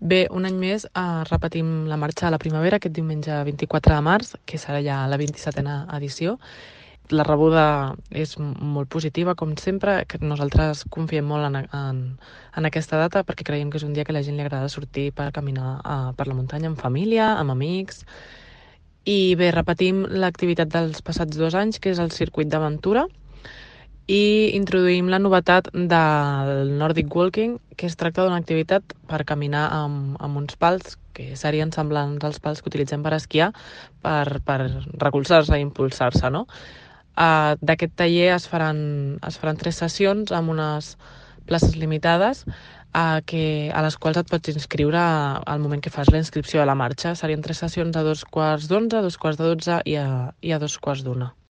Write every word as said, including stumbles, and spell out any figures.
Bé, un any més eh, repetim la marxa a la primavera aquest diumenge vint-i-quatre de març, que serà ja la vint-i-setena edició. La rebuda és m- molt positiva, com sempre, que nosaltres confiem molt en, en, en aquesta data perquè creiem que és un dia que a la gent li agrada sortir per caminar eh, per la muntanya amb família, amb amics. I bé, repetim l'activitat dels passats dos anys, que és el circuit d'aventura, i introduïm la novetat del Nordic Walking, que es tracta d'una activitat per caminar amb, amb uns pals que serien semblants als pals que utilitzem per esquiar per, per recolzar-se i impulsar-se, no? Uh, D'aquest taller es faran, es faran tres sessions amb unes places limitades uh, que, a les quals et pots inscriure al moment que fas la inscripció a la marxa. Serien tres sessions a dos quarts d'onze, a dos quarts de dotze i a, i a dos quarts d'una.